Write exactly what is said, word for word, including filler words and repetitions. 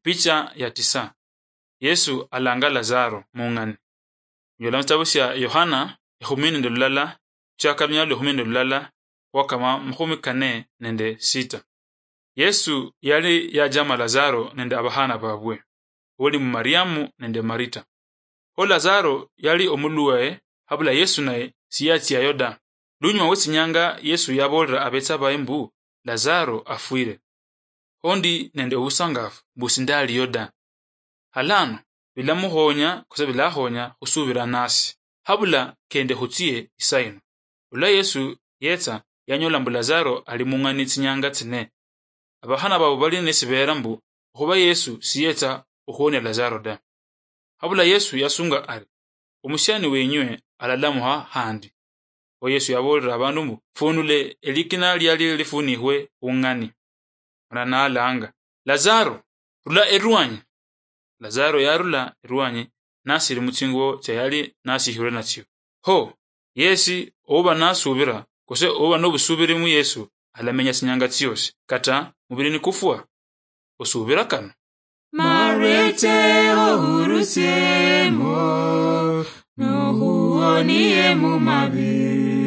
Picha ya tisa. Yesu alanga Lazaro mung'ani. Nyola mu sitabu sia Yohana ekhumi nende lulala, khuchaka lunyala lwa ekhumi nende lulala, khwakama mukhumi kane nende sita. Yesu yali yajama Lazaro nende abakhana babwe, oli mu Mariamu nende Marita. Kho Lazaro yali omulwaye, habula Yesu naye siyatsiayo da. Lunyuma we tsinyanga Yesu yaboolera abetsa baye mbu, "Lazaro afwire. Kho ndi nende obusangafu mbu sindaliyo da. Halano bilamukhonya kose bilakhonya khusubira nasi. Habula kende khutsie isaino." Olwa Yesu yetsa, yanyola mbu Lazaro ali mung'ani tsinyanga tsine. Abakhana babo bali nesibeera mbu okhuba Yesu siyetsa okhuwonia Lazaro da. Habula Yesu yasunga ari, "Omusiani wenywe alalamukha khandi." Kho Yesu yaboolera abandu mbu, "Funule elikina liali lifunikhwe khung'ani." Mana nalanga, "Lazaro, rula erwanyi." Lazaro yarula erwanyi, nasiri mutsingubo tsia yali nasikhirwe natsio. Kho yesi ouba nasubira, kose ouba nobusubiri mu Yesu, alamenya tsinyanga tsiosi, kata mubiri nikufwa. Osubira kano? Marete ohurusiemo, nohuonie mu mabi.